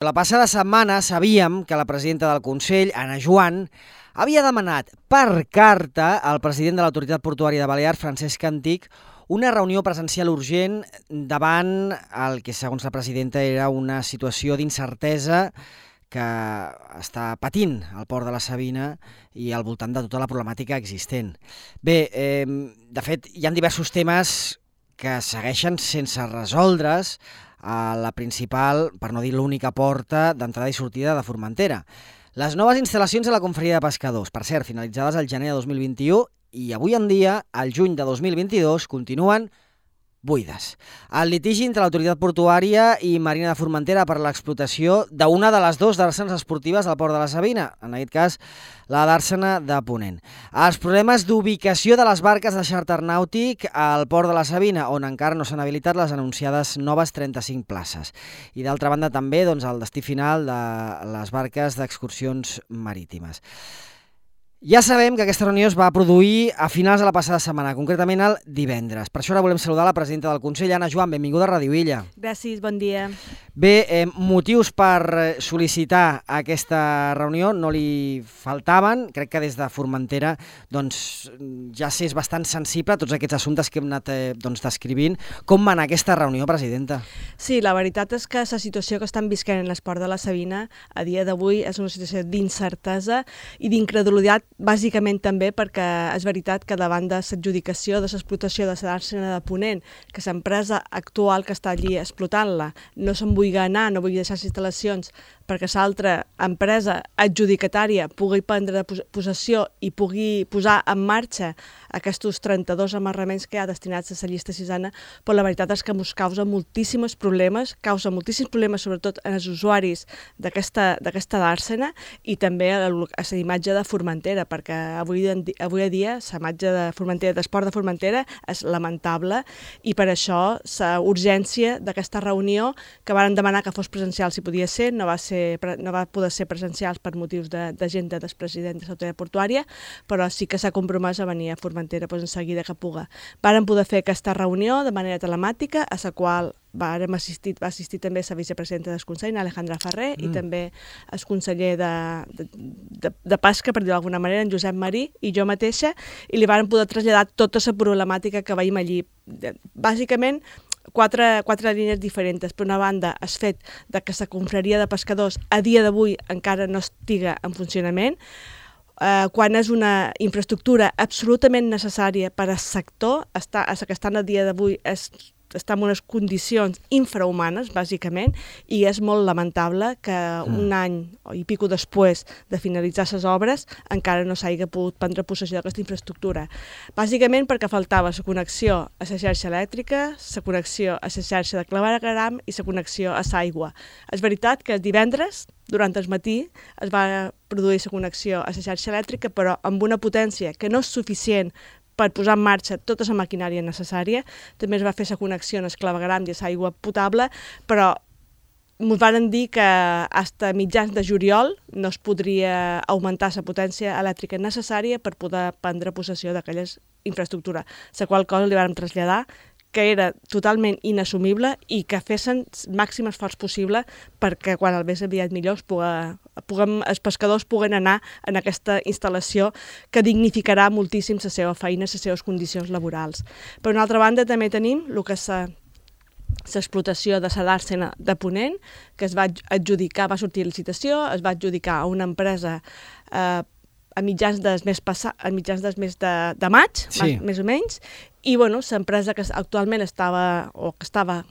La passada setmana sabíem que la presidenta del Consell, Anna Joan, havia demanat per carta al president de l'Autoritat Portuària de Balears, Francesc Antich, una reunió presencial urgent davant el que, segons la presidenta, era una situació d'incertesa que està patint el port de la Sabina i al voltant de tota la problemàtica existent. Bé, de fet, hi ha diversos temes que segueixen sense resoldre's a la principal, per no dir l'única porta d'entrada i sortida de Formentera. Les noves instal·lacions a la Confraria de Pescadors, per cert, finalitzades al gener de 2021 i avui en dia, al juny de 2022, continuen buides. El litigi entre l'Autoritat Portuària i Marina de Formentera per l'explotació d'una de les dues dàrsenes esportives al port de la Sabina, en aquest cas la dàrsena de Ponent. Els problemes d'ubicació de les barques de xàrter nàutic al port de la Sabina, on encara no s'han habilitat les anunciades noves 35 places. I d'altra banda també el destí final de les barques d'excursions marítimes. Ja sabem que aquesta reunió es va produir a finals de la passada setmana, concretament el divendres. Per això ara volem saludar la presidenta del Consell, Anna Joan. Benvinguda a Ràdio Illa. Gràcies, bon dia. Bé, motius per sol·licitar aquesta reunió no li faltaven. Crec que des de Formentera ja s'és bastant sensible a tots aquests assumptes que hem anat descrivint. Com va anar aquesta reunió, presidenta? Sí, la veritat és que la situació que estan visquent en l'esport de la Sabina a dia d'avui és una situació d'incertesa i d'incredulitat, bàsicament també perquè és veritat que davant de l'adjudicació de l'explotació de la dàrsena de Ponent, que l'empresa actual que està allí explotant-la no se'n vulgui anar, no vulgui deixar les instal·lacions perquè l'altra empresa adjudicatària pugui prendre possessió i pugui posar en marxa aquests 32 amarraments que hi ha destinats a la llista sisena, però la veritat és que ens causa moltíssims problemes, sobretot en els usuaris d'aquesta dàrsena i també a la imatge de Formentera, perquè avui a dia la imatge de Formentera, d'esport de Formentera, és lamentable i per això la urgència d'aquesta reunió, que varen demanar que fos presencial si podia ser, no va poder ser presencial per motius d'agenda del president de l'Autoritat Portuària, però sí que s'ha compromès a venir a Formentera en seguida que puga. Varen poder fer aquesta reunió de manera telemàtica, a la qual va assistir també la vicepresidenta del Consell, Alejandra Ferrer, i també el conseller de Pesca, per dir-ho d'alguna manera, en Josep Marí, i jo mateixa, i li varen poder traslladar tota la problemàtica que veiem allí. Bàsicament, quatre línies diferents. Per una banda, el fet que la confraria de pescadors a dia d'avui encara no estiga en funcionament, quan és una infraestructura absolutament necessària per al sector, que estan a dia d'avui està en unes condicions infrahumanes, bàsicament, i és molt lamentable que un any i pico després de finalitzar les obres encara no s'hagi pogut prendre possessió d'aquesta infraestructura. Bàsicament perquè faltava la connexió a la xarxa elèctrica, la connexió a la xarxa de clavegueram i la connexió a l'aigua. És veritat que divendres, durant el matí, es va produir la connexió a la xarxa elèctrica, però amb una potència que no és suficient per posar en marxa tota la maquinària necessària. També es va fer la connexió en el clavegueram i l'aigua potable, però ens van dir que fins a mitjans de juliol no es podria augmentar la potència elèctrica necessària per poder prendre possessió d'aquella infraestructura, la qual cosa li vam traslladar que era totalment inassumible i que fessin el màxim esforç possible perquè quan el més aviat millor els pescadors puguen anar en aquesta instal·lació que dignificarà moltíssim la seva feina, les seves condicions laborals. Per una altra banda, també tenim el que és l'explotació de la dàrsena de Ponent, que es va adjudicar, va sortir a licitació, es va adjudicar a una empresa a mitjans del mes de maig, més o menys, i l'empresa que actualment estava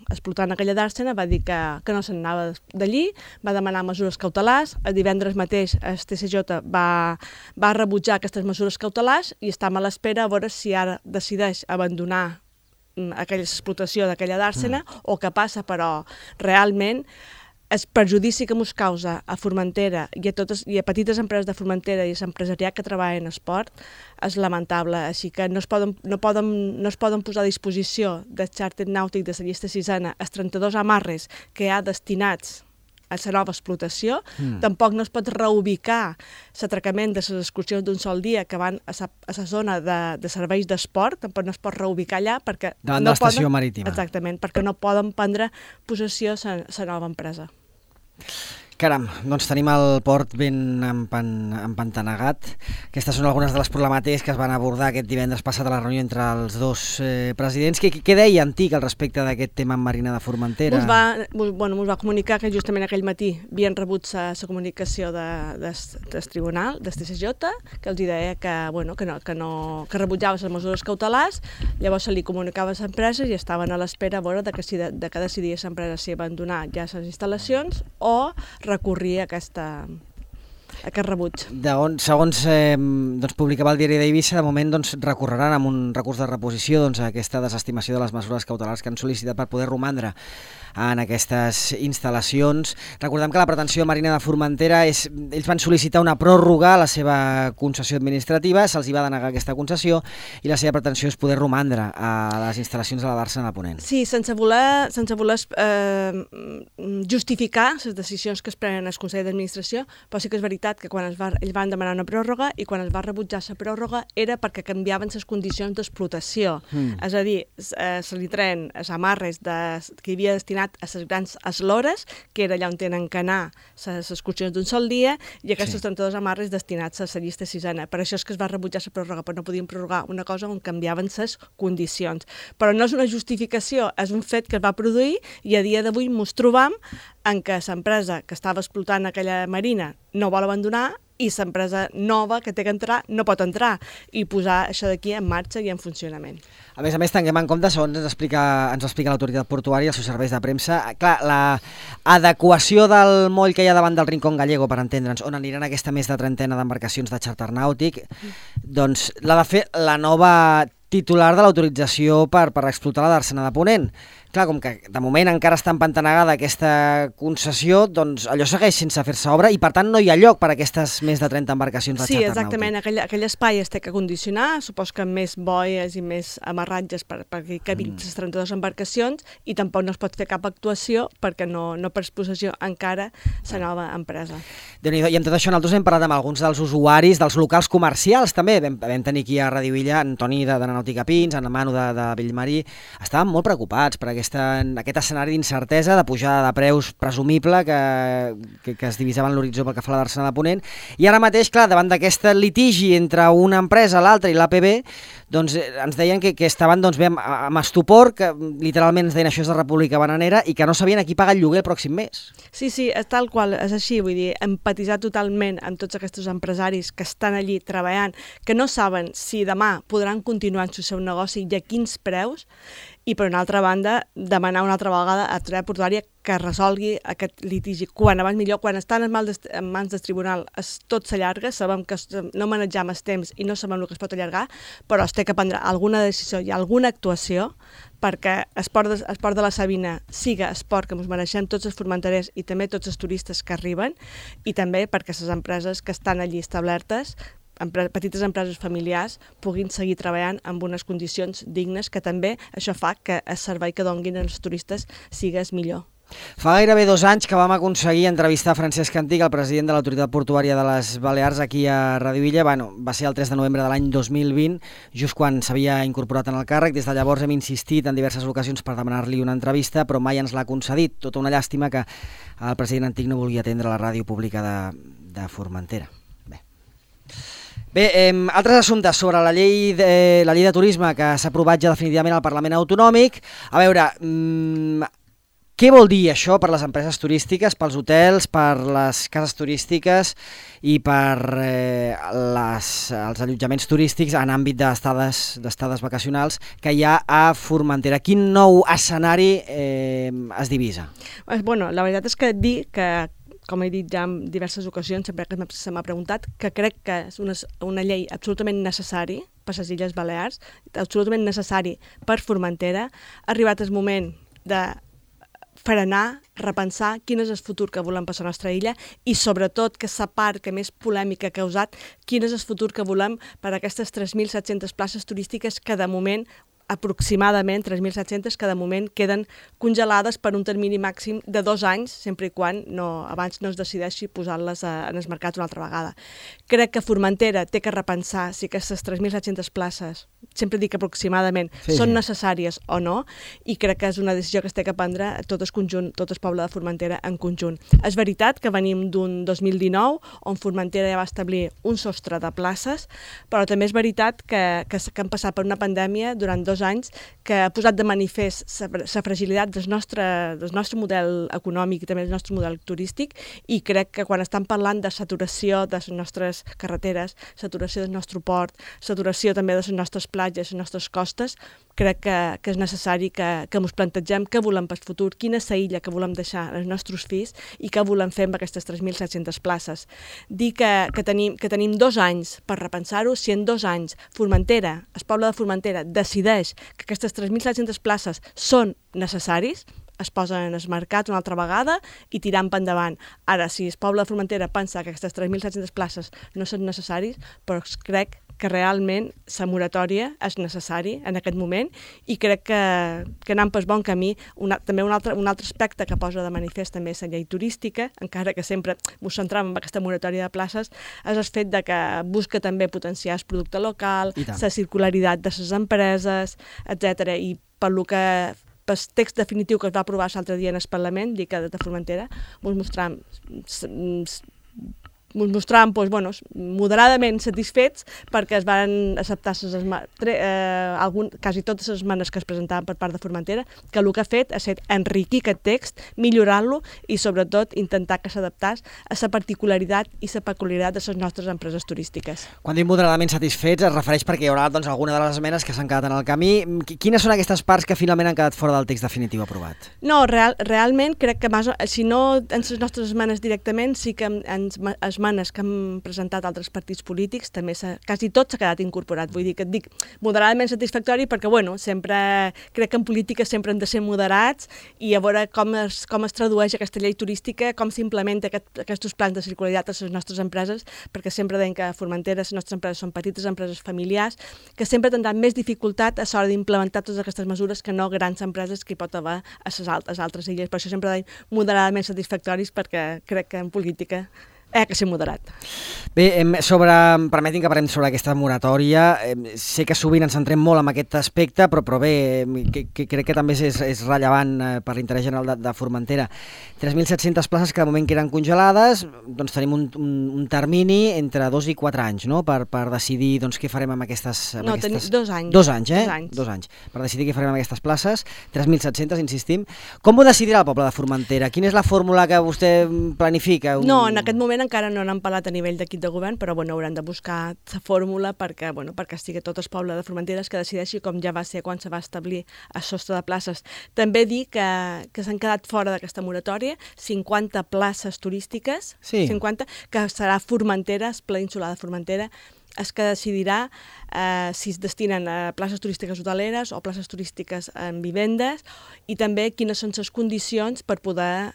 explotant aquella dàrsena va dir que no se'n anava d'allí, va demanar mesures cautelars. El divendres mateix el TCJ va rebutjar aquestes mesures cautelars i estem a l'espera a veure si ara decideix abandonar aquella explotació d'aquella dàrsena o què passa, però realment el perjudici que ens causa a Formentera i a petites empreses de Formentera i a l'empresariat que treballa en esport és lamentable. Així que no es poden posar a disposició del xàrter nàutic de la llista sisena els 32 amarres que hi ha destinats a la nova explotació. Tampoc no es pot reubicar l'atracament de les excursions d'un sol dia que van a la zona de serveis d'esport, tampoc no es pot reubicar allà perquè davant de l'estació marítima. Exactament, perquè no poden prendre possessió la nova empresa. Caram, doncs tenim el port ben empantanegat. Aquestes són algunes de les problemàtiques que es van abordar aquest divendres passat a la reunió entre els dos presidents. Què deia Antic al respecte d'aquest tema amb Marina de Formentera? Mos va comunicar que justament aquell matí havien rebut la comunicació del tribunal, del TCJ, que els deia que rebutjava les mesures cautelars. Llavors se li comunicava a les empreses i estaven a l'espera a veure de que decidia l'empresa si abandonar ja les instal·lacions o recorria a aquest rebuig. Segons publicava el diari d'Eivissa, de moment recorreran amb un recurs de reposició a aquesta desestimació de les mesures cautelars que han sol·licitat per poder romandre en aquestes instal·lacions. Recordem que la pretensió de Marina de Formentera ells van sol·licitar una pròrroga a la seva concessió administrativa, se'ls hi va denegar aquesta concessió i la seva pretensió és poder romandre a les instal·lacions de la Bàrsena de Ponent. Sí, sense voler justificar les decisions que es prenen al Consell d'Administració, però sí que és veritat que quan ells van demanar una pròrroga i quan es va rebutjar la pròrroga era perquè canviaven les condicions d'explotació. És a dir, se li treien els amarres que hi havia destinat a les grans eslores, que era allà on tenen que anar les excursions d'un sol dia, i aquests 32 amarres destinats a la llista sisena. Per això és que es va rebutjar la pròrroga, però no podien prorrogar una cosa on canviaven les condicions. Però no és una justificació, és un fet que es va produir i a dia d'avui ens trobam en què l'empresa que estava explotant aquella marina no vol abandonar i l'empresa nova que té que entrar no pot entrar i posar això d'aquí en marxa i en funcionament. A més, tinguem en compte, segons ens explica l'autoritat portuària i els seus serveis de premsa, clar, l'adequació del moll que hi ha davant del Rincón Gallego, per entendre'ns, on aniran aquesta més de 30 d'embarcacions de xàrter nàutic, doncs l'ha de fer la nova titular de l'autorització per explotar la Bàrsena de Ponent. Clar, com que de moment encara està empantanegada aquesta concessió, doncs allò segueix sense fer-se obra i per tant no hi ha lloc per a aquestes més de 30 embarcacions de xàrter nàutic. Sí, exactament, aquell espai es té que condicionar, supos que amb més boies i més amarratges perquè hi cabin les 32 embarcacions i tampoc no es pot fer cap actuació perquè no per exposició encara la nova empresa. Déu-n'hi-do, i amb tot això nosaltres hem parlat amb alguns dels usuaris, dels locals comercials també, vam tenir aquí a Radio Illa en Toni de Nàutica Pins, en Manu de Bellmarí, estaven molt preocupats per aquest escenari d'incertesa, de pujada de preus presumible que es divisava en l'horitzó pel que fa a la Bàrsena de Ponent, i ara mateix, clar, davant d'aquest litigi entre una empresa, l'altra i l'APB, doncs ens deien que estaven bé amb estupor, que literalment ens deien això és de República Bananera i que no sabien a qui pagar el lloguer el pròxim mes. Sí, tal qual, és així, vull dir, empatitzar totalment amb tots aquests empresaris que estan allí treballant, que no saben si demà podran continuar en el seu negoci i a quins preus, i per una altra banda demanar una altra vegada a l'autoritat portuària que resolgui aquest litigi quan abans millor, quan estan en mans del tribunal tot s'allarga, sabem que no manejam el temps i no sabem el que es pot allargar, però es té que prendre alguna decisió i alguna actuació perquè el port de la Sabina siga el port que ens mereixem tots els formenterers i també tots els turistes que arriben i també perquè les empreses que estan allí establertes, petites empreses familiars, puguin seguir treballant amb unes condicions dignes que també això fa que el servei que donguin als turistes sigués millor. Fa gairebé 2 anys que vam aconseguir entrevistar Francesc Antic, el president de l'Autoritat Portuària de les Balears, aquí a Radio Illa. Va ser el 3 de novembre de l'any 2020, just quan s'havia incorporat en el càrrec. Des de llavors hem insistit en diverses ocasions per demanar-li una entrevista, però mai ens l'ha concedit. Tota una llàstima que el president Antic no volia atendre la ràdio pública de Formentera. Bé, altres assumptes sobre la llei de turisme que s'ha aprovat ja definitivament al Parlament Autonòmic. A veure, què vol dir això per les empreses turístiques, pels hotels, per les cases turístiques i per els allotjaments turístics en àmbit d'estades vacacionals que hi ha a Formentera? Quin nou escenari es divisa? Bueno, la veritat és que dir que, com he dit ja en diverses ocasions, sempre que se m'ha preguntat, que crec que és una llei absolutament necessari per les Illes Balears, absolutament necessari per Formentera. Ha arribat el moment de frenar, repensar quin és el futur que volem per la nostra illa i sobretot que la part que més polèmica ha causat, quin és el futur que volem per a aquestes 3.700 places turístiques que de moment aproximadament 3.700 que de moment queden congelades per un termini màxim de 2 anys, sempre i quan abans no es decideixi posar-les en el mercat una altra vegada. Crec que Formentera té que repensar si aquestes 3.700 places, sempre dic aproximadament, són necessàries o no, i crec que és una decisió que es té que prendre tot el conjunt, tot el poble de Formentera en conjunt. És veritat que venim d'un 2019 on Formentera ja va establir un sostre de places, però també és veritat que han passat per una pandèmia durant 2 anys que ha posat de manifest la fragilitat del nostre model econòmic i també del nostre model turístic, i crec que quan estan parlant de saturació de les nostres carreteres, saturació del nostre port, saturació també de les nostres platges, les nostres costes, crec que és necessari que ens plantegem què volem per futur, quina és la illa que volem deixar als nostres fills i què volem fer amb aquestes 3.700 places. Dir que tenim 2 anys per repensar-ho. Si en 2 anys Formentera, el poble de Formentera, decideix que aquestes 3.700 places són necessaris, es posen en el mercat una altra vegada i tirant per endavant. Ara, si el poble de Formentera pensa que aquestes 3.700 places no són necessaris, però crec que realment la moratòria és necessari en aquest moment, i crec que anem pel bon camí. També un altre aspecte que posa de manifest també la llei turística, encara que sempre ens centram en aquesta moratòria de places, és el fet de que busca també potenciar el producte local, la circularitat de les empreses, etc. I per lo que pel text definitiu que es va aprovar l'altre dia en el Parlament, dic que de Formentera, mostràvem moderadament satisfets perquè es van acceptar quasi totes les esmenes que es presentaven per part de Formentera, que el que ha fet ha estat enriquir aquest text, millorar-lo i sobretot intentar que s'adaptés a la particularitat i la peculiaritat de les nostres empreses turístiques. Quan diu moderadament satisfets es refereix perquè hi haurà alguna de les esmenes que s'han quedat en el camí. Quines són aquestes parts que finalment han quedat fora del text definitiu aprovat? No, realment crec que si no en les nostres esmenes directament, sí que esmenes que han presentat altres partits polítics, també quasi tot s'ha quedat incorporat. Vull dir que et dic moderadament satisfactori perquè, sempre crec que en política sempre hem de ser moderats i a veure com es tradueix aquesta llei turística, com s'implementa aquests plans de circularitat a les nostres empreses, perquè sempre deien que a Formentera les nostres empreses són petites empreses familiars, que sempre tindran més dificultat a l'hora d'implementar totes aquestes mesures que no grans empreses que hi pot haver a les altres illes. Per això sempre deien moderadament satisfactoris, perquè crec que en política que ser moderat. Bé, permetin que parlem sobre aquesta moratòria. Sé que sovint ens centrem molt en aquest aspecte, però bé, crec que també és rellevant per l'interès general de Formentera. 3.700 places que de moment queden congelades, doncs tenim un termini entre 2 i 4 anys, no?, per decidir què farem amb aquestes... No, tenim 2 anys. 2 anys, 2 anys, per decidir què farem amb aquestes places, 3.700, insistim. Com ho decidirà el poble de Formentera? Quina és la fórmula que vostè planifica? No, en aquest moment encara no n'han parlat a nivell d'equip de govern, però hauran de buscar la fórmula perquè estigui tot el poble de Formentera que decideixi, com ja va ser quan se va establir el sostre de places. També dir que s'han quedat fora d'aquesta moratòria 50 places turístiques, 50, que serà Formentera, el Pla Insular de Formentera, és que decidirà si es destinen a places turístiques hoteleres o places turístiques en vivendes, i també quines són les condicions per poder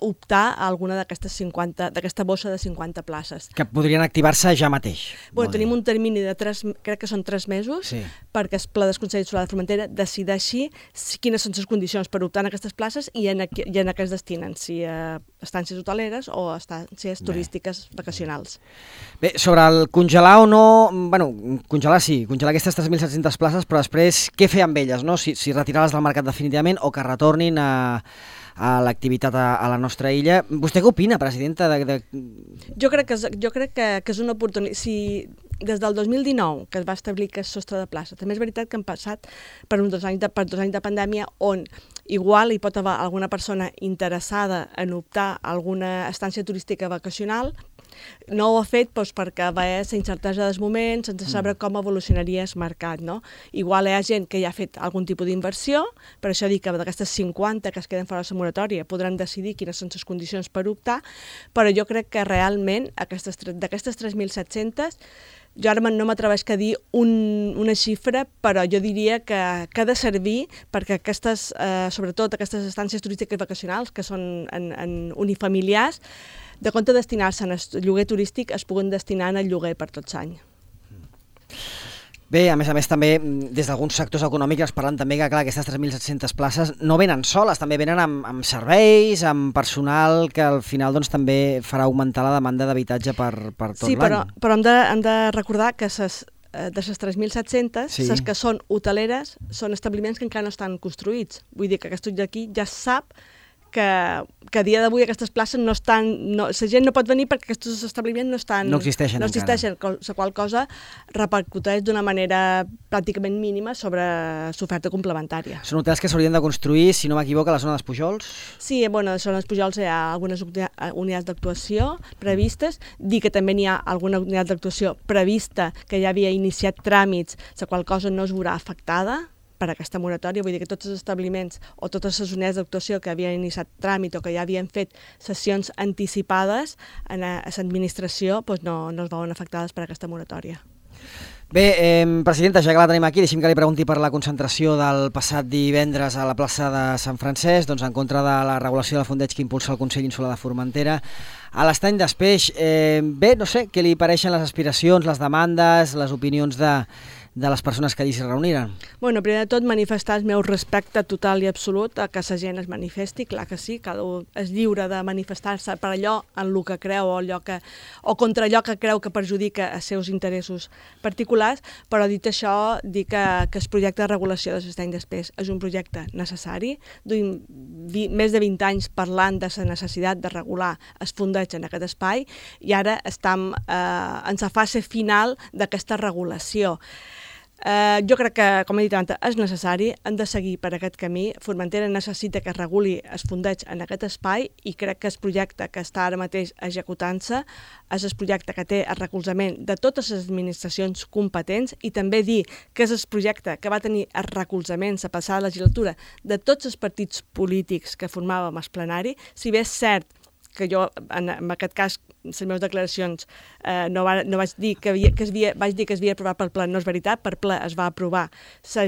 optar a alguna d'aquesta bossa de 50 places. Que podrien activar-se ja mateix. Tenim un termini de crec que són 3 mesos, perquè el Pla del Consell Insular de Formentera decideixi quines són les condicions per optar en aquestes places i en què es destinen, si a estàncies hoteleres o a estàncies turístiques vacacionals. Bé, sobre el congelar o no, congelar aquestes 3.700 places, però després què fer amb elles, no? Si retirar-les del mercat definitivament o que retornin a l'activitat a la nostra illa. Vostè què opina, presidenta? Jo crec que és una oportunitat. Si des del 2019, que es va establir aquest sostre de plaça, també és veritat que han passat per 2 anys de pandèmia on igual hi pot haver alguna persona interessada en optar a alguna estància turística vacacional. No ho ha fet perquè va haver la incertesa dels moments, sense saber com evolucionaria el mercat, no? Igual hi ha gent que ja ha fet algun tipus d'inversió, per això dic que d'aquestes 50 que es queden fora de la moratòria podran decidir quines són les condicions per optar, però jo crec que realment d'aquestes 3.700, jo ara no m'atreveix a dir una xifra, però jo diria que ha de servir perquè sobretot aquestes estàncies turístiques vacacionals, que són en unifamiliars, de compte de destinar-se al lloguer turístic, es puguen destinar al lloguer per tot l'any. Bé, a més també, des d'alguns sectors econòmics es parlen també que, clar, aquestes 3.700 places no venen soles, també venen amb serveis, amb personal que al final doncs, també farà augmentar la demanda d'habitatge per tot l'any. Sí, però hem de recordar que de les 3.700, les que són hoteleres són establiments que encara no estan construïts. Vull dir que aquest d'aquí ja sap que a dia d'avui aquestes places no estan... la gent no pot venir perquè aquests establiments no existeixen encara. La qual cosa repercuteix d'una manera pràcticament mínima sobre l'oferta complementària. Són hotels que s'haurien de construir, si no m'equivoco, a la zona dels Pujols? Sí, a la zona dels Pujols hi ha algunes unitats d'actuació previstes. Dir que també n'hi ha alguna unitat d'actuació prevista que ja havia iniciat tràmits, la qual cosa no es veurà afectada per aquesta moratòria. Vull dir que tots els establiments o totes les unitats d'actuació que havien iniciat tràmit o que ja havien fet sessions anticipades a l'administració no es veuen afectades per aquesta moratòria. Bé, presidenta, ja que la tenim aquí, deixi'm que li pregunti per la concentració del passat divendres a la plaça de Sant Francesc, doncs en contra de la regulació del fondeig que impulsa el Consell Insular de Formentera a l'Estany d'Espeix. Bé, no sé, què li pareixen les aspiracions, les demandes, les opinions de les persones que allí s'hi reuniren? Bueno, primer de tot, manifestar el meu respecte total i absolut a que la gent es manifesti, clar que sí, cada un és lliure de manifestar-se per allò en el que creu o contra allò que creu que perjudica els seus interessos particulars, però dit això, dir que el projecte de regulació de l'Estany d'Espeix és un projecte necessari. Duim més de 20 anys parlant de la necessitat de regular el fondeig en aquest espai i ara estem en la fase final d'aquesta regulació. Jo crec que, com he dit abans, és necessari, hem de seguir per aquest camí. Formentera necessita que es reguli el fondeig en aquest espai i crec que el projecte que està ara mateix executant-se és el projecte que té el recolzament de totes les administracions competents i també dir que és el projecte que va tenir el recolzament la passada legislatura de tots els partits polítics que formàvem el plenari. Si bé és cert que jo, en aquest cas, les meves declaracions no vaig dir que es havia aprovat pel ple, no és veritat, per ple es va aprovar la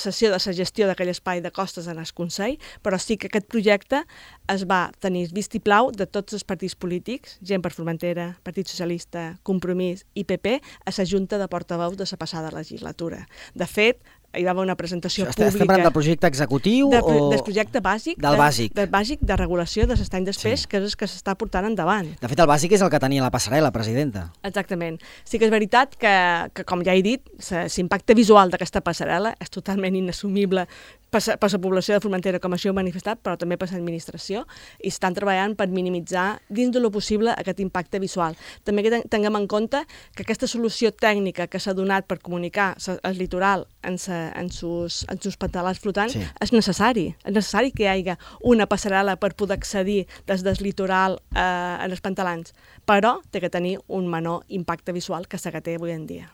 sessió de la gestió d'aquell espai de costes en el Consell, però sí que aquest projecte es va tenir vistiplau de tots els partits polítics, Gent per Formentera, Partit Socialista, Compromís i PP, a la Junta de Portaveus de la passada legislatura. De fet, hi va haver una presentació pública... Estem parlant del projecte executiu o... Del projecte bàsic. Del bàsic. Del bàsic de regulació de l'Estany d'Espeix, que és el que s'està portant endavant. De fet, el bàsic és el que tenia la passarel·la, presidenta. Exactament. Sí que és veritat que com ja he dit, l'impacte visual d'aquesta passarel·la és totalment inassumible per la població de Formentera, com això heu manifestat, però també per l'administració, i estan treballant per minimitzar dins de lo possible aquest impacte visual. També que tinguem en compte que aquesta solució tècnica que s'ha donat per comunicar el litoral en sus pantalars flotants és necessari. És necessari que hi hagi una passarel·la per poder accedir des del litoral en els pantalars, però té que tenir un menor impacte visual que la que té avui en dia.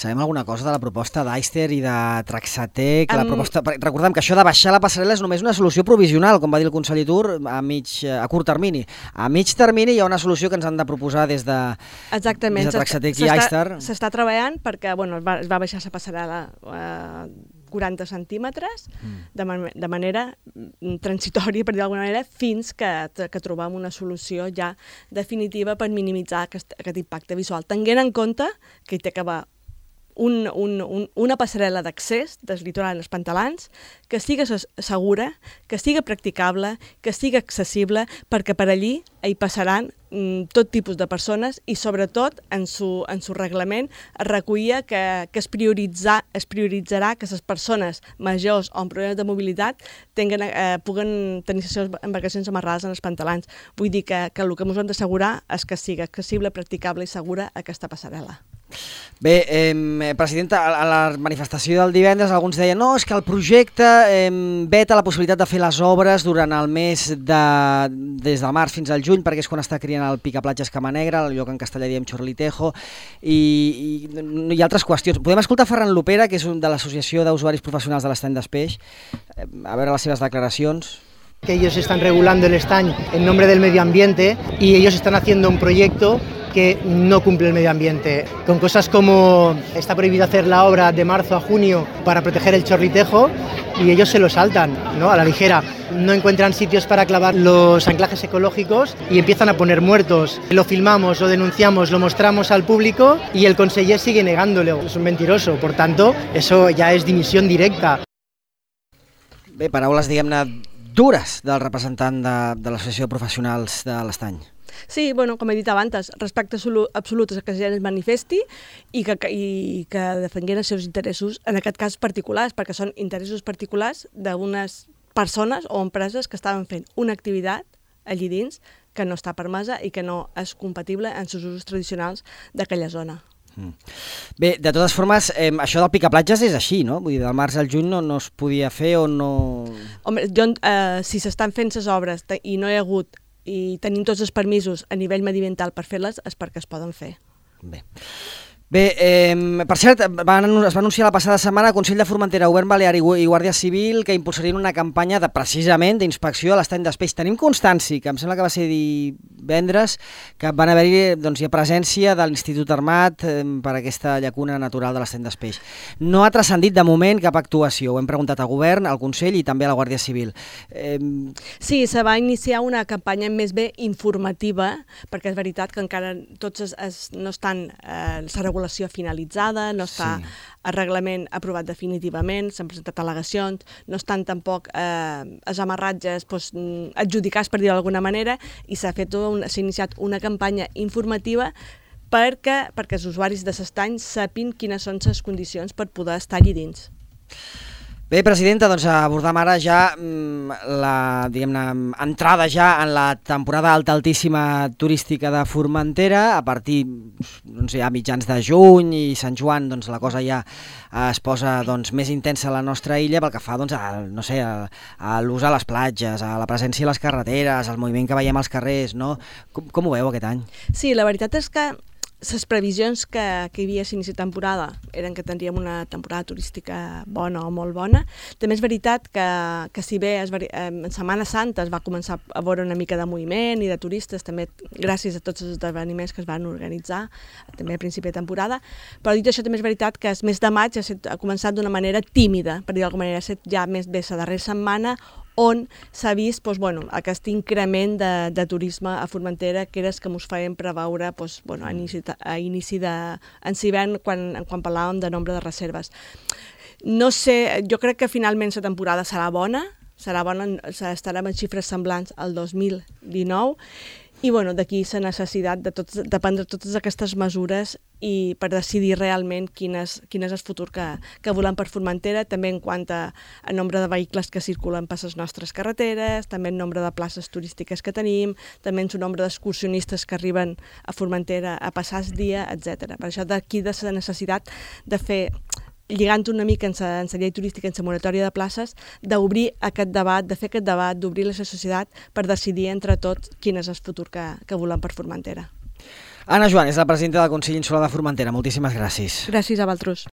Sabem alguna cosa de la proposta d'Eister i de Traxatec? Recordem que això de baixar la passarel·la és només una solució provisional, com va dir el conseller Tur, a curt termini. A mig termini hi ha una solució que ens han de proposar des de Traxatec i Eister. S'està treballant perquè es va baixar la passarel·la 40 centímetres de manera transitòria, per dir d'alguna manera, fins que trobem una solució ja definitiva per minimitzar aquest impacte visual. Tenint en compte que hi té que haver una passarel·la d'accés del litoral als pantalars que sigui segura, que sigui practicable, que sigui accessible, perquè per allí hi passaran tot tipus de persones i sobretot en su reglament es recollia que es prioritzarà que les persones majors o amb problemes de mobilitat puguen tenir les seves embarcacions amarrades en els pantalars. Vull dir que el que ens hem d'assegurar és que sigui accessible, practicable i segura aquesta passarel·la. Bé, presidenta, a la manifestació del divendres alguns deien no, és que el projecte veta la possibilitat de fer les obres durant el mes des del març fins al juny, perquè és quan està criant el Picaplatges Camanegra, el lloc en castellà diem Chorlitejo, i altres qüestions. Podem escoltar Ferran Lopera, que és un de l'Associació d'Usuaris Professionals de l'Estany d'Espeix, a veure les seves declaracions. Que ellos están regulando el estañ en nombre del medio ambiente y ellos están haciendo un proyecto que no cumple el medio ambiente, con cosas como está prohibido hacer la obra de marzo a junio para proteger el Chorlitejo y ellos se lo saltan, ¿no? A la ligera. no encuentran sitios para clavar los anclajes ecológicos y empiezan a poner muertos. Lo filmamos, lo denunciamos, lo mostramos al público y el conseller sigue negándolo. Es un mentiroso, por tanto, eso ja és dimissió directa. Bé, paraules, diguem-ne, dures del representant de l'Associació de Professionals de l'Estany. Sí, bueno, com he dit abans, respecte absolut a que la gent es manifesti i que defenguin els seus interessos, en aquest cas particulars, perquè són interessos particulars d'unes persones o empreses que estaven fent una activitat allí dins que no està permesa i que no és compatible amb els usos tradicionals d'aquella zona. Bé, de totes formes, això del picaplatges és així, no? Vull dir, del març al juny no es podia fer o no... Home, si s'estan fent les obres i no hi ha hagut i tenim tots els permisos a nivell mediambiental per fer-les, és perquè es poden fer. Bé, per cert, es va anunciar la passada setmana el Consell de Formentera, Govern Balear i Guàrdia Civil que impulsarien una campanya precisament d'inspecció a l'estany d'Espeix. Tenim constància, que em sembla que va ser divendres, que van haver-hi presència de l'Institut Armat per aquesta llacuna natural de l'estany d'Espeix. No ha transcendit de moment cap actuació. Ho hem preguntat al Govern, al Consell i també a la Guàrdia Civil. Sí, se va iniciar una campanya més bé informativa, perquè és veritat que encara tots no estan regulació finalitzada, no està el reglament aprovat definitivament, s'han presentat al·legacions, no estan tampoc els amarratges adjudicats, per dir-ho d'alguna manera, i s'ha iniciat una campanya informativa perquè els usuaris de l'estany sapin quines són les condicions per poder estar allí dins. Bé, presidenta, doncs abordam ara ja la, diguem-ne, entrada ja en la temporada altíssima turística de Formentera. A partir ja mitjans de juny i Sant Joan la cosa ja es posa més intensa a la nostra illa pel que fa a l'ús a les platges, a la presència a les carreteres, al moviment que veiem als carrers, no? Com ho veu aquest any? Sí, la veritat és que les previsions que hi havia a l'inici de temporada eren que tindríem una temporada turística bona o molt bona. També és veritat que si bé en Setmana Santa es va començar a veure una mica de moviment i de turistes, també gràcies a tots els esdeveniments que es van organitzar, també a principi de temporada, però dit això també és veritat que el mes de maig ha començat d'una manera tímida, per dir d'alguna manera, ha estat ja més bé la darrera setmana on s'ha vist aquest increment de turisme a Formentera, que era el que ens feien preveure a inici d'hivern quan parlàvem de nombre de reserves. No sé, jo crec que finalment la temporada serà bona, estarem en xifres semblants al 2019, i d'aquí la necessitat de prendre totes aquestes mesures i per decidir realment quin és el futur que volem per Formentera, també en quant a nombre de vehicles que circulen per les nostres carreteres, també en nombre de places turístiques que tenim, també en el nombre d'excursionistes que arriben a Formentera a passar el dia, etc. Per això d'aquí de la necessitat de fer, lligant una mica en la llei turística, en la moratòria de places, d'obrir aquest debat, de fer aquest debat, d'obrir la societat per decidir entre tots quin és el futur que volem per Formentera. Anna Joan és la presidenta del Consell Insular de Formentera. Moltíssimes gràcies. Gràcies a vosaltres.